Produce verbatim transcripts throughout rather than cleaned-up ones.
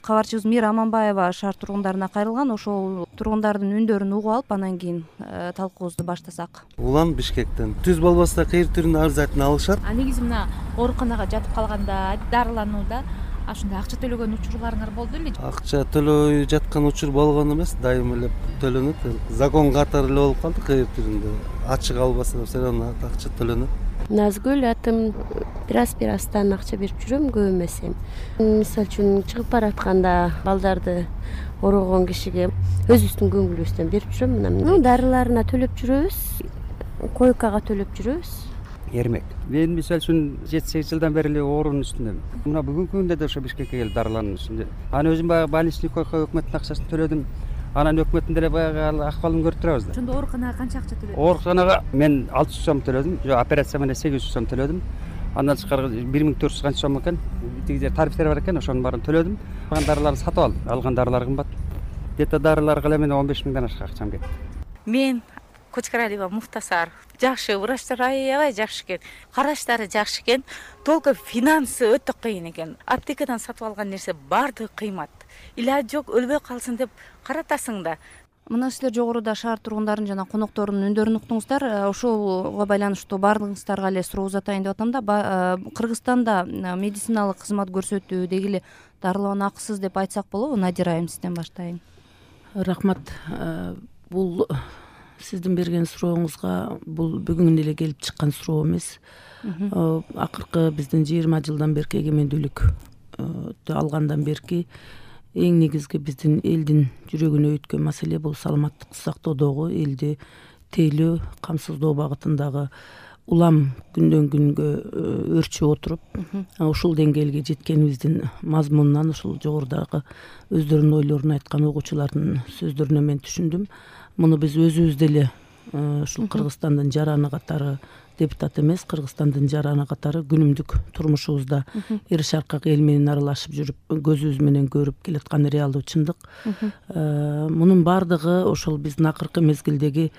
кабарчыбыз Мира Аманбаева шаар тургундарына кайрылган. Ошол тургундардын үндөрүн угуп алып, анан кийин талкуубузду баштасак. Улан Бишкектен. Түз болбосо кайыр түрүнүн арызатын алышат. А негизи мына ооруканага жатып калганда, дарыланууда ушундай акча төлөгөн учурларыңар болду беле? Акча төлөбөй жаткан учур болгон эмес, дайым эле төлөнөт. Закон катары эле болуп калды кайыр түрүндө. Ачык албаса все равно акча төлөнөт. Назгүл атым. Бираз бирастан акча берип жүрөм, көп эмес эми. Мисалы үчүн чыгып баратканда балдарды орогон кишиге өзүбүздүн көңүлүбүздөн берип жүрөм. Мына дарыларына төлөп жүрөбүз, койкага төлөп жүрөбүз. Эрмек. Мен мисалы үчүн жети сегиз жылдан бери эле оорунун үстүндөм. Мына бүгүнкү күндө да ошо Бишкекке келип дарылануу үстүндө. Аны өзүм баягы больничный койка өкмөттүн акчасын төлөдүм. Анан өкмөттүн деле баягы акыбалын көрүп турабыз да. Ошондо ооруканага канча акча төлөдүң? Ооруканага мен алты жүз сом төлөдүм. Жок, операция менен сегиз жүз сом төлөдүм. Андан тышкары бир миң төрт жүз канча сом экен. Тиги жер тарифтер бар экен, ошонун баарын төлөдүм. Алган дарыларды сатып алдым. Алган дарылар кымбат. Где-то дарыларга эле мен он беш миңден ашык акчам кетти. Мен Кочкаралиева Муктасар. Жакшы, врачтар аябай жакшы экен. Караштары жакшы экен. Только финансы өтө кыйын экен. Аптекадан сатып алган нерсе баардыгы кыймат. Илажы жок, өлбөй калсын деп каратасың да. Мына силер жогоруда шаар тургундарынын жана конокторунун өндөрүн уктуңуздар. Ошого байланыштуу баардыгыңыздарга эле суроо узатайын деп атам да. Кыргызстанда медициналык кызмат көрсөтүү деги эле дарылануу акысыз деп айтсак болобу? Надира айым, сизден баштайын. Рахмат. Бул сиздин берген сурооңузга бул бүгүн эле келип чыккан суроо эмес. Акыркы биздин жыйырма жылдан берки эгемендүүлүктү алгандан берки эң негизги биздин элдин жүрөгүнө өткөн маселе бул саламаттыкты сактоодогу, элди тейлөө, камсыздоо багытындагы улам күндөн күнгө өрчүп отуруп, ушул деңгээлге жеткенибиздин мазмунунан ушул жогорудагы өздөрүнүн ойлорун айткан окуучулардын сөздөрүнөн мен түшүндүм. Муну биз өзүбүз деле ушул Кыргызстандын жараны катары, депутат эмес, Кыргызстандын жараны катары күнүмдүк турмушубузда эр шаркак эл менен аралашып жүрүп, көзүбүз менен көрүп келаткан реалдуу чындык. Мунун баардыгы ошол биздин акыркы мезгилдеги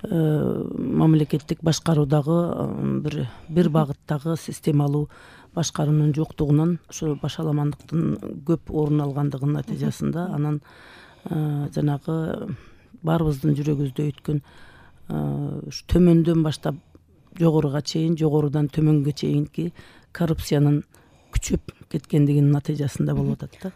мамлекеттик башкаруудагы бир бир багыттагы системалуу башкаруунун жоктугунан, ошо башаламандыктын көп орун алгандыгынын натыйжасында анан жанагы баарыбыздын жүрөгүбүздө өткөн төмөндөн баштап жогоруга чейин, жогорудан төмөнгө чейинки коррупциянын күчөп кеткендигинин натыйжасында болуп атат да.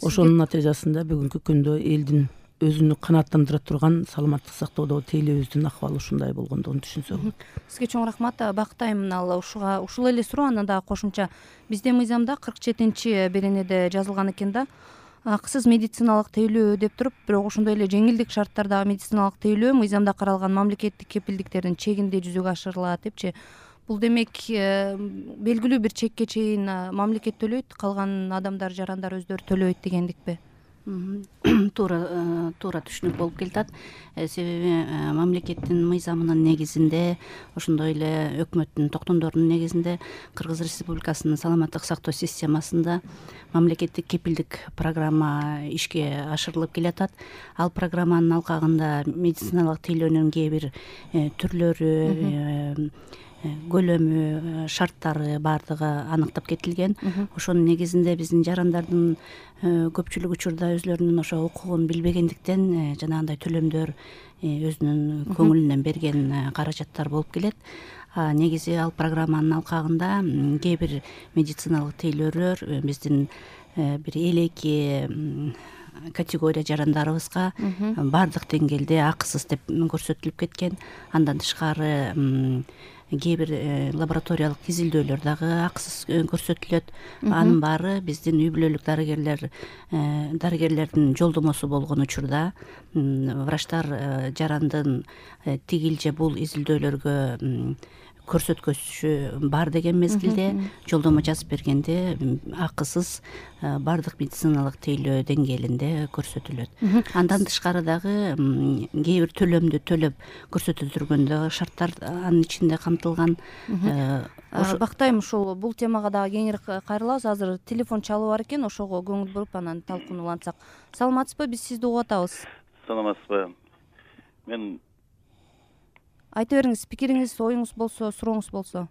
Ошонун натыйжасында бүгүнкү күндө элдин өзүнү канааттандыра турган саламаттык сактоодогу тейлөөбүздүн акыбалы ушундай болгондугун түшүнсө болот. Сизге чоң рахмат. Бактайм мына ушуга ушул эле суроо анан дагы кошумча. Биздин мыйзамда кырк жетинчи беренеде жазылган экен да. Акысыз медициналык тейлөө деп туруп, бирок ошондой эле жеңилдик шарттардагы медициналык тейлөө мыйзамда каралган мамлекеттик кепилдиктердин чегинде жүзөгө ашырылат депчи. Бул демек белгилүү бир чекке чейин мамлекет төлөйт, калган адамдар, жарандар өздөрү төлөбөйт дегендикпи? Туура туура түшүнүк болуп келатат. Себеби мамлекеттин мыйзамынын негизинде, ошондой эле өкмөттүн токтомдорунун негизинде Кыргыз Республикасынын саламаттык сактоо системасында мамлекеттик кепилдик программа ишке ашырылып келатат. Ал программанын алкагында медициналык тейлөөнүн кээ бир түрлөрү, көлөмү, шарттары баардыгы аныктап кетилген. Ошонун негизинде биздин жарандардын көпчүлүк учурда өзлөрүнүн ошо укугун билбегендиктен жанагындай төлөмдөр өзүнүн көңүлүнөн берген каражаттар болуп келет. Негизи ал программанын алкагында кээ бир медициналык тейлөөлөр биздин бир элеки категория жарандарыбызга баардык деңгээлде акысыз деп көрсөтүлүп кеткен. Андан тышкары кээ бир лабораториялык изилдөөлөр дагы акысыз көрсөтүлөт. Анын баары биздин үй бүлөлүк дарыгерлер дарыгерлердин жолдомосу болгон учурда врачтар жарандын тигил же бул изилдөөлөргө көрсөткөчү бар деген мезгилде жолдомо жазып бергенде акысыз баардык медициналык тейлөө деңгээлинде көрсөтүлөт. Андан тышкары дагы кээ бир төлөмдү төлөп көрсөтүлгөндө шарттар анын ичинде камтылган. Бактайм, ушул бул темага дагы кеңири кайрылабыз. Азыр телефон чалуу бар экен, ошого көңүл буруп анан талкуулансак. Саламатсызбы? Биз сизди угуп атабыз. Саламатсызбы? Мен айта бериңиз, пикириңиз, оюңуз болсо, сурооңуз болсо.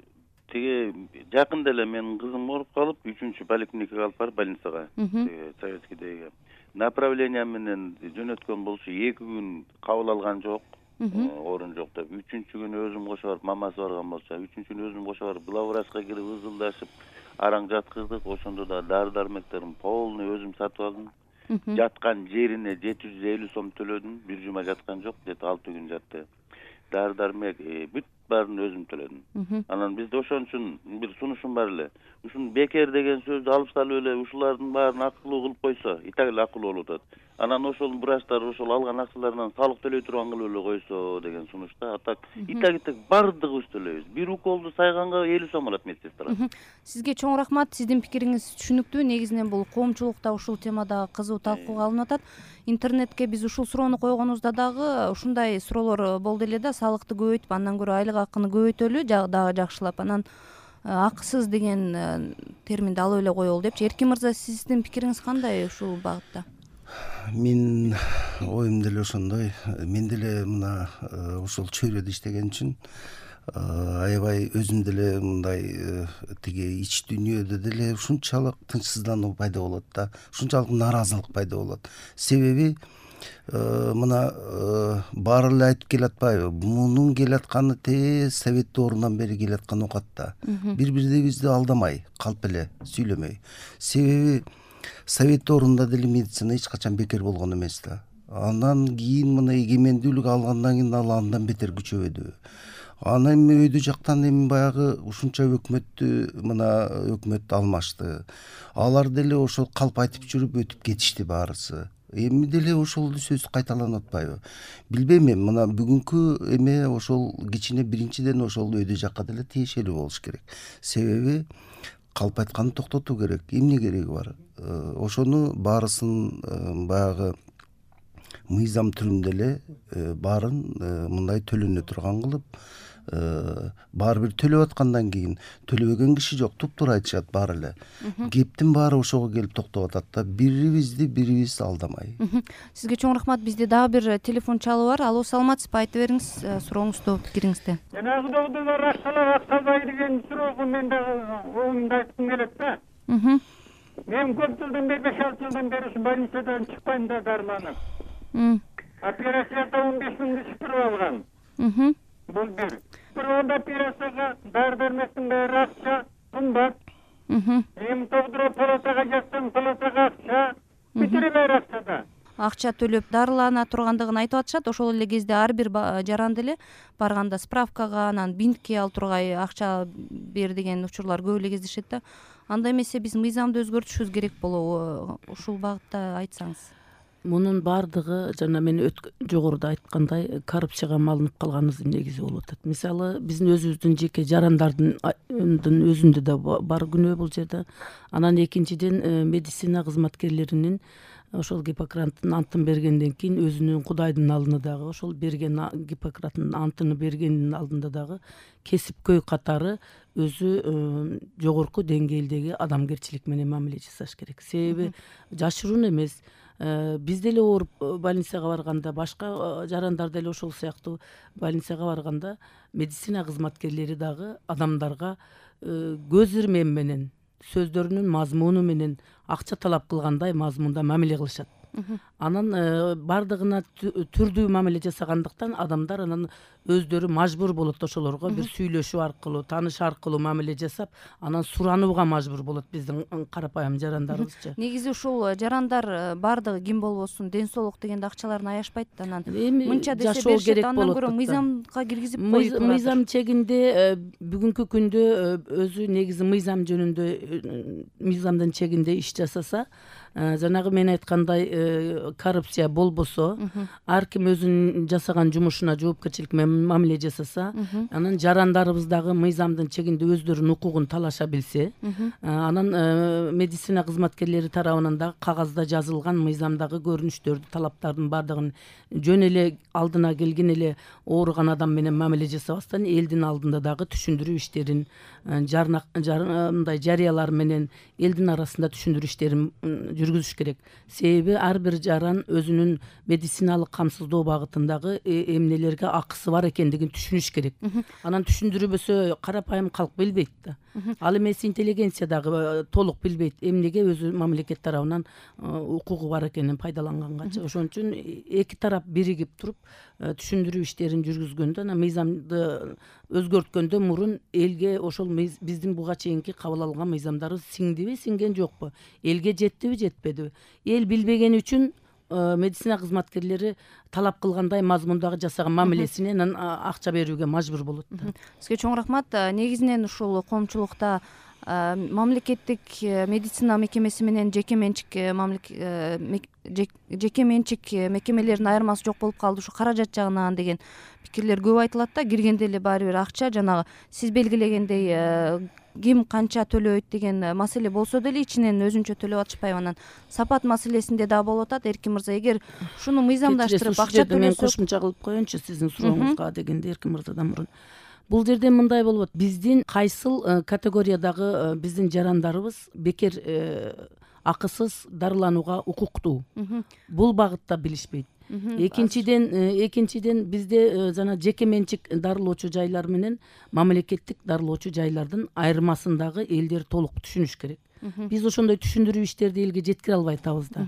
тиги жакында эле менин кызым ооруп калып үчүнчү поликлиникага алып барып больницага тиги советскийдеги направление менен жөнөткөн болчу эки күн кабыл алган жок, орун жок деп. Үчүнчү күнү өзүм кошо барып мамасы барган болчу. Үчүнчү күнү өзүм кошо барып главврачка кирип ызылдашып араң жаткыздык. Ошондо да дары дармектерин полный өзүм сатып алдым. Жаткан жерине жети жүз элүү сом төлөдүм. Бир жума жаткан жок, жети алты күн жатты. Дары дармек бүт баарын өзүм төлөдүм. Анан бизде ошон үчүн бир сунушум бар эле. Ушун бекер деген сөздү алып салып эле ушулардын баарын акылуу кылып койсо, и так эле акылуу болуп атат. Анан ошол врачтар ошол алган акчаларынан салык төлөй турган кылып эле койсо деген сунушта. А так и так и так баардыгыбыз төлөйбүз. Бир уколду сайганга элүү сом алат медсестра. Сизге чоң рахмат. Сиздин пикириңиз түшүнүктүү. Негизинен бул коомчулукта ушул темада кызуу талкууга алынып атат. Интернетке биз ушул суроону койгонубузда дагы ушундай суроолор болду эле да, салыкты көбөйтүп, андан көрө айлык акыны көбөйтөлү дагы жакшылап, анан акысыз деген терминди алып эле коелу депчи. Эркин мырза, сиздин пикириңиз кандай ушул багытта? Мен оюм деле ошондой. Мен деле мына ошол чөйрөдө иштеген үчүн аябай өзүм деле мындай тиги ич дүйнөдө деле ушунчалык тынчсыздануу пайда болот да, ушунчалык нааразылык пайда болот. Себеби мына баары эле айтып келатпайбы, мунун келатканы тез совет доорунан бери келаткан окат да. Бири бирибизди алдамай, калп эле сүйлөмөй. Себеби совет доорунда деле медицина эч качан бекер болгон эмес да. Андан кийин мына эгемендүүлүк алгандан кийин ал андан бетер күчөбөдү. Анан эми өйдө жактан эми баягы ушунча өкмөттү мына өкмөт алмашты. Алар деле ошол калп айтып жүрүп өтүп кетишти баарысы. Эми деле ошол сөз кайталанып атпайбы? Билбейм эми, мына бүгүнкү эме ошол кичине биринчиден ошол өйдө жакка деле тиешелүү болуш керек. Себеби калп айтканды токтотуу керек. Эмне кереги бар? Ошону баарысын баягы мыйзам түрүндө эле баарын мындай төлөнө турган кылып, баары бир төлөп аткандан кийин төлөбөгөн киши жок, туптуура айтышат баары эле. Кептин баары ошого келип токтоп атат да, бирибизди бирибиз алдамай. Сизге чоң рахмат. Бизде дагы бир телефон чалуу бар. Алло, саламатсызбы? Айтып бериңиз сурооңузду, пикириңизди. Жанагы догдурлар акчалап аксабай деген суроого мен дагы оюмду айткым келет да. Мен көп жылдан бери, беш алты жылдан бери ушу больницадан чыкпайм да, дарыланып. Операцияда он беш миңди чыктырып алган. Бул бир. Бир операцияга дары дармектин баары акча, кымбат. Эми тогдура палатага жатсам, палатага акча, бүтүрө баары акчада. Акча төлөп дарылана тургандыгын айтып атышат. Ошол эле кезде ар бир жаран деле барганда справкага, анан бинтке ал тургай акча бер деген учурлар көп эле кездешет да. Андай эмесе биз мыйзамды өзгөртүшүбүз керек болобу? Ушул багытта айтсаңыз. Мунун баардыгы жана мен жогоруда айткандай коррупцияга малынып калганыбыздын негизи болуп атат. Мисалы, биздин өзүбүздүн жеке жарандардын өзүндө да бар күнөө бул жерде. Анан экинчиден медицина кызматкерлеринин ошол Гиппократтын антын бергенден кийин өзүнүн Кудайдын алдында дагы ошол берген Гиппократтын антын бергендин алдында дагы кесипкөй катары өзү жогорку деңгээлдеги адамгерчилик менен мамиле жасаш керек. Себеби жашыруун эмес. Биз деле ооруп больницага барганда, башка жарандар деле ошол сыяктуу больницага барганда медицина кызматкерлери дагы адамдарга көз ирмем менен, сөздөрүнүн мазмуну менен акча талап кылгандай мазмунда мамиле кылышат. Анан бардыгына түрдүү мамиле жасагандыктан адамдар анан өздөрү мажбур болот ошолорго бир сүйлөшүү аркылуу, тааныш аркылуу мамиле жасап, анан суранууга мажбур болот биздин карапайым жарандарыбызчы. Негизи ушул жарандар бардыгы ким болбосун ден соолук дегенде акчаларын аяшпайт да, анан мынча десе беришет, андан көрө мыйзамга киргизип коюп турат. Мыйзам чегинде бүгүнкү күндө өзү негизи мыйзам жөнүндө мыйзамдын чегинде иш жасаса, жанагы мен айткандай коррупция болбосо, ар ким өзүнүн жасаган жумушуна жоопкерчилик менен мамиле жасаса, анан жарандарыбыз дагы мыйзамдын чегинде өздөрүнүн укугун талаша билсе, анан медицина кызматкерлери тарабынан дагы кагазда жазылган мыйзамдагы көрүнүштөрдү, талаптардын бардыгын жөн эле алдына келген эле ооруган адам менен мамиле жасабастан элдин алдында дагы түшүндүрүү иштерин, мындай жарыялар менен элдин арасында түшүндүрүү иштерин жүргүзүш керек. Себеби ар ар бир жаран өзүнүн медициналык камсыздоо багытындагы эмнелерге акысы бар экендигин түшүнүш керек. Анан түшүндүрбөсө карапайым калк билбейт да. Ал эмес интеллигенция дагы толук билбейт эмнеге өзү мамлекет тарабынан укугу бар экенин пайдаланганга. Ошон үчүн эки тарап биригип туруп түшүндүрүү иштерин жүргүзгөндө анан мыйзамды өзгөрткөндөн мурун элге ошол биздин буга чейинки кабыл алган мыйзамдарыбыз сиңдиби, сиңген жокпу, элге жеттиби, жетпедиби? Эл билбегени үчүн медицина кызматкерлери талап кылгандай мазмундагы жасаган мамилесине анан акча берүүгө мажбур болот да. Сизге чоң рахмат. Негизинен ушул коомчулукта мамлекеттик медицина мекемеси менен жеке менчик жеке менчик мекемелердин айырмасы жок болуп калды ушу каражат жагынан деген пикирлер көп айтылат да. Киргенде эле баары бир акча, жанагы сиз белгилегендей ким канча төлөйт деген маселе болсо деле ичинен өзүнчө төлөп атышпайбы? Анан сапат маселесинде дагы болуп атат. Эркин мырза, эгер ушуну мыйзамдаштырып акча төлөсөк, мен кошумча кылып коеюнчу сиздин сурооңузга дегенде Эркин мырзадан мурун. Бул жерде мындай болуп атат. Биздин кайсыл категориядагы биздин жарандарыбыз бекер акысыз дарыланууга укуктуу? Бул багытта билишпейт. Экинчиден экинчиден бизде жана жеке менчик дарылоочу жайлар менен мамлекеттик дарылоочу жайлардын айырмасын дагы элдер толук түшүнүш керек. Биз ошондой түшүндүрүү иштерди элге жеткире албай атабыз да.